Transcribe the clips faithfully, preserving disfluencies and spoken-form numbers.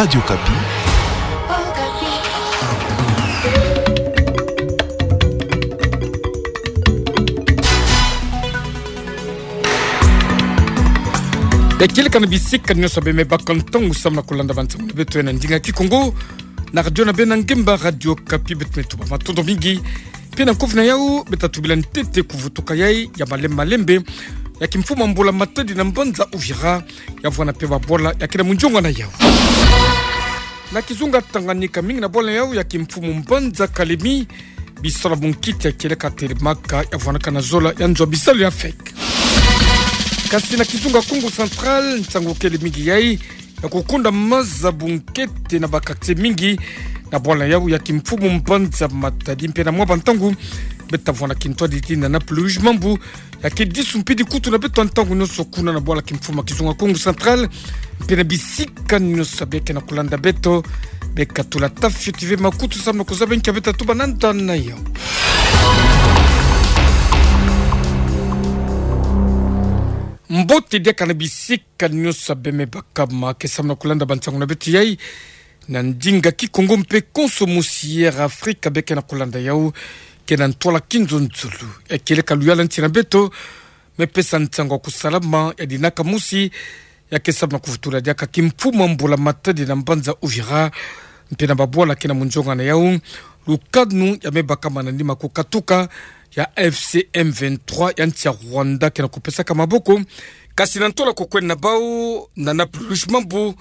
Radio Okapi. Ekeleka na bisika nyonso bemebaka ntangu samu na kulanda bansangu na beto ya na ndinga Kikongo na radio na beno ngemba Radio Okapi. Beto me tuba matondo mingi. Mpe na nkofi na yau, beta tubila ntete kuvutuka yai ya malembe malembe ya kimfumu ya Mbula Matadi na mbanza Uvira, ya vwanda mpe babwala ya kena munjongo na yau. Na kizunga Tanganyika, mingi na bwala yau ya kimfumu mbanza Kalemi, bisalu ya bunkiti ya kieleka telemaka, ya vwandaka na zola ya nzo ya bisalu ya fek. Kasi na kizunga Kongo Central, nsangu kele mingi yai ya kukunda maza bunkete na ba quartier mingi na bwala yau ya kimfumu mbanza Matadi mpe na mwa bantangu beta vwanda kintwadi ti na nappe luige mambu ya ke disu mpidi kutu na beto ntangu nyonso kuna na bwala kimfumu ya kizunga Kongo Central mpe na bisika nyonso beka na kulanda beto. Beka tula tafioti ve makutu samu na kuzaba nkia beta tuba na nda na yau. Mbote diaka na bisika nyonso bemebaka, ma ke samu na kulanda bansangu na beto yai na ndinga Kikongo mpe konso mosi ya Afrika beka na kulanda yau. Ke na ntwala kinzonzolo ya kieleka luyalu ya nsi na beto, me pesa nsangu ya kusalama ya dinaka mosi ya ke samu na kuvutula diaka kimfumu ya Mbula Matadi na mbanza Uvira mpe na babwala ke na munjongo na yau, lukanu ya mebaka manima kukatuka ya AFC M vingt-trois ya nsi ya Rwanda ke na kupesaka maboko. Kasi na ntwala kukwenda na bau na nappe luige mambu,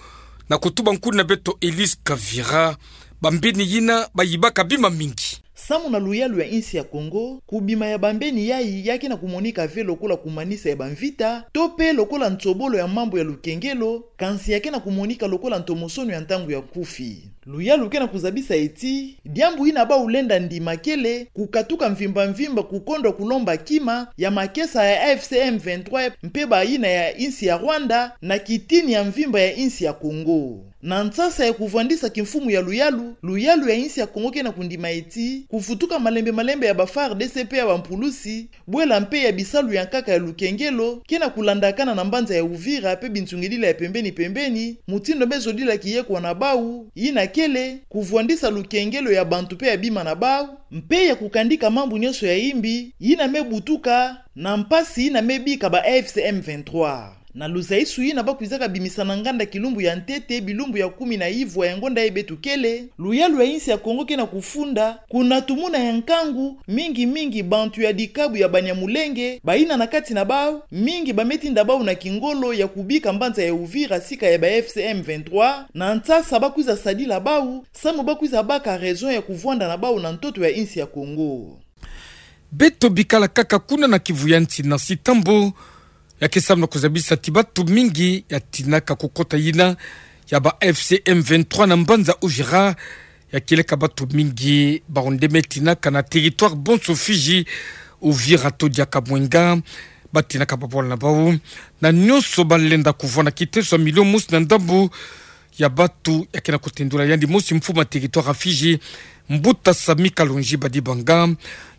na kutuba nkuni na beto Elise Kavira, bambeni yina bayibaka bima mingi. Samu na luyalu ya nsi ya Kongo, kubima ya bambeni yai ya ke na kumonika ve lokola kumanisa ya bamvita, to mpe lokola nsobolo ya mambu ya lukengelo, kansi ya ke na kumonika lokola ntomosono ya ntangu ya nkufi. Luyalu ke na kuzabisa ti diambu yina bau lenda ndima kele kukatuka mvimba mvimba kukondwa kulomba kima ya makesa ya AFC M vingt-trois mpe bayina ya nsi ya Rwanda na kitini ya mvimba ya nsi ya Kongo. Na nsasa ya kuvwandisa kimfumu ya luyalu, luyalu ya nsi ya Kongo ke na kundima ti kuvutuka malembe malembe ya ba FARDC mpe ya bampulusi, bwela mpe ya bisalu ya nkaka ya lukengelo ke na kulandakana na mbanza ya Uvira mpe binsungidila ya pembeni pembeni, mutindu mezodila kiyekwa na bau, yina kele kuvwandisa lukengelo ya bantu mpe ya bima na bau, mpe ya kukandika mambu nyonso ya imbi yina mebutuka na mpasi yina mebika ba AFC M vingt-trois. Na luzaisu yina bakwizaka bimisa na nganda kilumbu ya ntete, bilumbu ya kumi na ivwa ya ngonda yayi beto kele, luyalu ya nsi ya Kongo ke na kufunda, kuna tumuna ya nkangu, mingi mingi bantu ya dikabu ya Banyamulenge, bayina na kati na bau, mingi bametinda bau na kingolo ya kubika mbanza ya Uvira sika ya ba AFC M vingt-trois, na nsasa bakwiza sadila bau, samu bakwiza baka raison ya kuvwanda na bau na ntoto ya nsi ya Kongo. Beto bikala kaka kuna na Kivu ya nsi na Sitambo, ya ke samu na kuzabisa ti batu mingi ya tinaka kukota yina ya ba AFC M vingt-trois na mbanza Uvira, ya kieleka batu mingi bawu nde metinaka na territoire bonso Fidji, Uvira to diaka Mwenga, batinaka babwala na bau, na nyonso balenda kuvwanda kiteso ya milio mosi na ndambu ya batu ya ke na kutendula yandi mosi mfumu ya territoire ya Fidji, Mbuta Sami Kalonji Badibanga,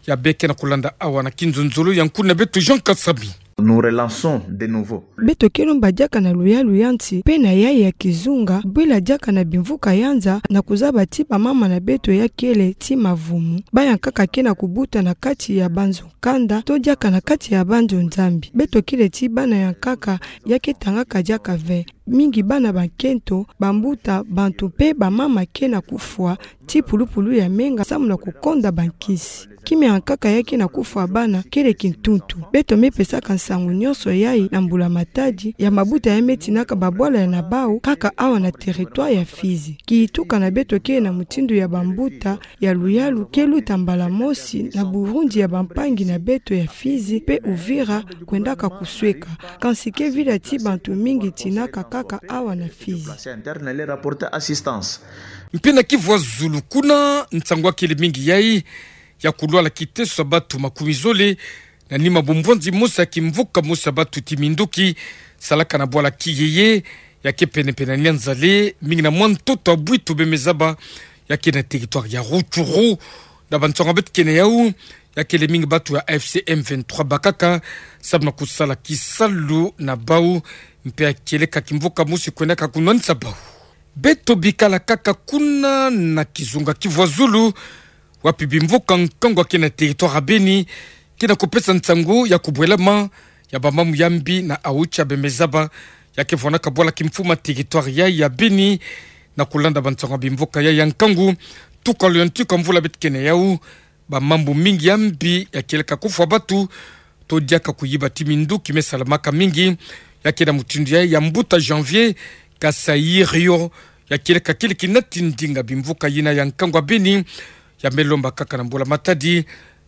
ya beka na kulanda awa na kinzonzolo ya nkuni na beto Jean Kasami. Nous relançons de nouveau. Beto ke lomba diaka na luyalu ya nsi, mpe na yayi ya kizunga, bwila diaka na bimvuka ya nza, na kuzaba ti bamama na beto ya kele ti mavumu, baya nkaka ke na kubuta na kati ya banzo kanda, to diaka na kati ya banzo Nzambi. Beto kele ti bana ya nkaka ya ke tangaka diaka ve. Mingi bana bankento, bambuta, bantu mpe bamama ke na kufwa, ti pulupulu ya menga samu na kukonda bankisi. Kima ya nkaka ya ke na kufwa bana kele kintuntu. Beto mepesaka nsangu nyonso yayi na Mbula Matadi ya mabuta ya metinaka babwala ya na bau kaka awa na territoire ya Fidji. Kituka na beto kele na mutindu ya bambuta ya luyalu ke luta mbala mosi na burindi ya bampangi na beto ya Fidji mpe Uvira kwendaka kusweka. Kansi ke vila ti bantu mingi tinaka kaka awa na Fidji. Mpe na Kivu ya zulu kuna, nsangu ya kele mingi yayi ya kulwala kiteso ya batu makumi zole na nima bumbwanzi mosi ya kimvuka mosi ya batu ti minduki salaka na bwala Kiyeye, ya ke pene-pene na Nyanzale, mingi na mwa ntoto ya Bwitu bemezaba, ya ke na territoire ya Rutshuru. Na bansangu beto ke na yau, ya kele mingi batu ya AFC M vingt-trois bakaka samu na kusala kisalu na bau, mpe ya kieleka kimvuka mosi kwendaka kunwanisa bau. Beto bikala kaka kuna na kizunga kivwazulu, wapi bimvuka nkangu ya ke na territoire ya Beni ke na kupesa nsangu ya kubwelama ya bamambu ya mbi na Aocha, Bemezaba, ya ke vwanaka bwala kimfumu ya territoire ya, ya Beni. Na kulanda bansangu ya bimvuka ya, ya nkangu, tuka luyantiko ya mvula beto ke na yau, bamambu mingi ya mbi ya kieleka kufwa batu, to diaka kuyiba ti minduki me salamaka mingi, ya ke na mutindu ya, ya mbuta Janvier Kasairio, ya kieleka kili kinati ndinga bimvuka yina ya nkangu ya Beni, ya me lomba kaka na mbula matadi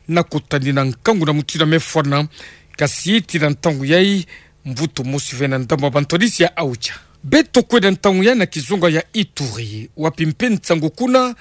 na kutanina nkangu na mutindu ya me fwana. Kasi tii na ntangu yayi, mvutu mosi ve na ndambu ya bantwadisi ya Aocha. Beto kwenda ntangu yayi na kizunga ya Ituri, wapi mpe nsangu kuna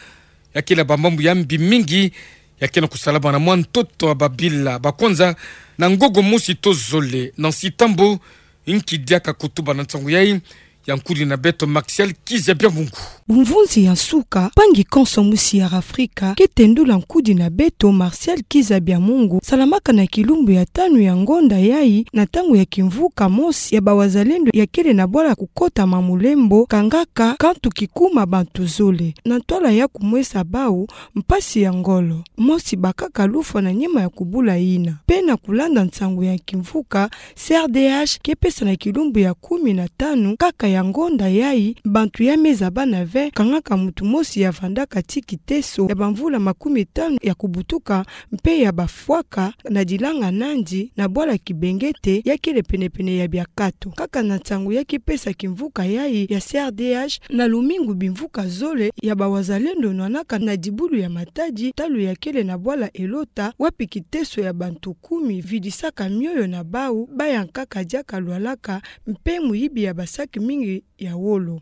ya ke na bamambu ya mbi mingi ya ke na kusalama na mwa ntoto ya babila ba kwanza, na ngongo mosi to zole na nsi Tambo, nki diaka kutuba na nsangu yayi, ya nkudi na beto Martial Kizabia Mungu. Bumvunzi ya nsuka, mpangi konso musi ya Afrika ke tendula nkudi na beto Martial Kizabia Mungu, salamaka na kilumbu ya tanu ya ngonda yayi, na ntangu ya kimvuka mosi ya bawazalendo ya kele na bwala kukota ma mulembo, kangaka kantu kikuma bantu zole, na ntwala ya kumwesa bau mpasi ya ngolo. Mosi bakaka lufwa na nima ya kubula yina. Mpe na kulanda nsangu ya kimvuka, C R D H ke pesa na kilumbu ya kumi na tanu kaka ya ngonda yayi, bantu ya me zabana ve, kangaka muntu mosi ya vandaka ti kiteso ya bamvula makumi tanu ya kubutuka, mpe ya bafwaka na dilanga nandi na bwala Kibengete, ya kele penepene ya Biakato. Kaka na nsangu ya kipesa kimvuka yayi ya C R D H, na lumingu bimvuka zole ya bawazalendo nwanaka na dibulu ya Matadi, talu ya kele na bwala Elota, wapi kiteso ya bantu kumi vidisaka mioyo na bau, bayankaka diaka lwalaka, mpe muyibi ya basaki mingi ya wolo.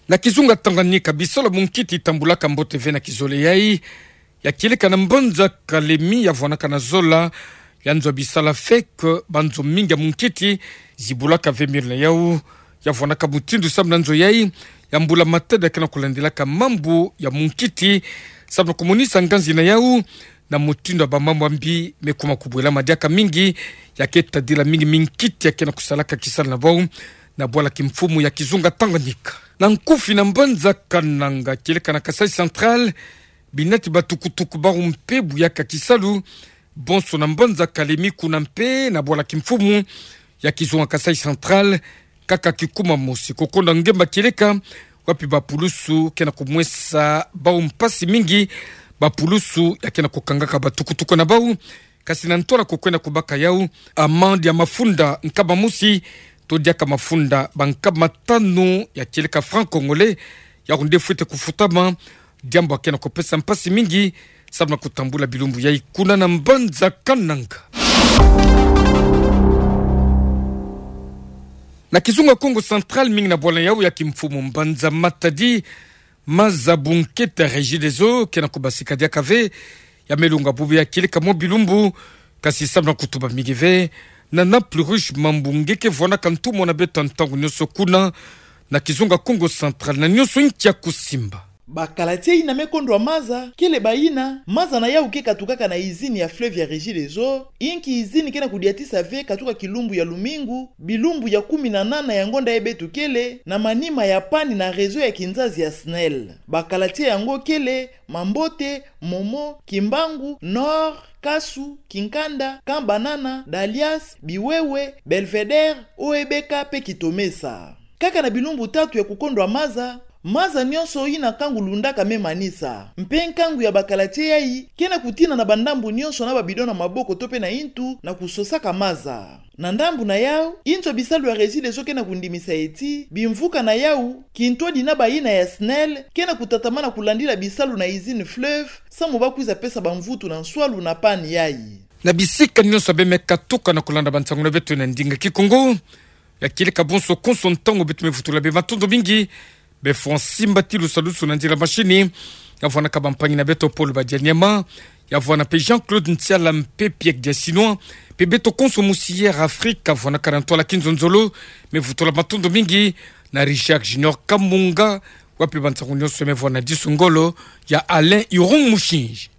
Na kizunga Tanganyika, bisalu ya munkiti tambulaka mbote ve na kizole yayi, ya kieleka na mbanza Kalemi, ya vwanaka na zola ya nzo ya bisalu ya FEC, banzo mingi ya munkiti zibulaka ve miole na yau. Ya vwanaka mutindu samu na nzo yayi, ya mbula matadi ya ke na kulandilaka mambu ya munkiti, samu na kumonisa nganzi na yau, na mutindu ya bamambu ya mbi me kuma kubwelama diaka mingi, ya ke tadila mingi minkiti ya ke na kusalaka kisalu na bau na bwala kimfumu ya kizunga Tanganyika. Na nkufi na mbanza Kananga, kieleka na Kasaï Central, binati batukutuku bau mpe buyaka kisalu, bonso na mbanza Kalemi kuna mpe na bwala kimfumu ya kizunga Kasaï Central, kaka kikuma mosi kukonda ngemba kieleka, wapi bapulusu ke na kumwesa bau mpasi mingi, bapulusu ya ke na kukangaka batukutuku na bau, kasi na ntwala kukwenda kubaka yau amande ya mafunda nkama mosi, to diaka mafunda bankama tanu ya kieleka francs congolais, yau nde fwete kufutama, diambu ya ke na kupesa mpasi mingi, samu na kutambula bilumbu yayi kuna na mbanza Kananga. Na kizunga Kongo Central, mingi na bwala yau ya kimfumu mbanza Matadi, maza bunkete Regideso ke na kubasika diaka ve, ya me lunga bubu ya kieleka mwa bilumbu, kasi samu na kutuba mingi ve, na Naples Rouge mambu nge ke vwanaka ntumwa na beto ntangu nyonso kuna na kizunga Kongo Central, na nyonso nki ya kusimba. Bakala ti yina me kondwa maza, kele bayina maza na yau ke katukaka na izini ya fleuve ya Regideso, inki izini ke na kudiatisa ve katuka kilumbu ya lumingu, bilumbu ya kumi na nana ya ngonda yayi beto kele, na manima ya panne na réseau ya kinzazi ya SNEL. Bakala ti yango kele Mambote, Momo, Kimbangu, Nord, Kasu, Kinkanda, Camp Banana, Dalias, Biwewe, Belvédère, O E B K mpe Kitomesa. Kaka na bilumbu tatu ya kukondwa maza, maza nyonso yina nkangu lundaka me manisa. Mpe nkangu ya bakala ti yayi ke na kutina na bandambu nyonso na babidon na maboko to mpe na intu na kusosaka maza. Na ndambu na yau, inzo bisalu ya Regideso ke na kundimisa ti bimvuka na yau, kintwadi na bayina ya SNEL, ke na kutatamana kulandila bisalu na izini fleuve, samu ba kwiza pesa bamvutu na nswalu na panne yayi. Na bisika nyonso be me katuka na kulanda bansangu na beto na ndinga Kikongo, ya kieleka bonso konso ntangu beto me vutula be matondo mingi, be fwa nsimba ti lusalusu na nzila mashini, ya vwanaka bampangi na beto Paul Badianyama, ya vwana mpe Jean-Claude Ntiala mpe Pierre Diasinois, mpe beto konso musi Air Afrique, ya vwanaka na ntwala kinzonzolo, me vutula matondo mingi na Richard Junior Kamunga, wapi bansangu nyonso me vwana disu ngolo ya Alain Irung Mushinji.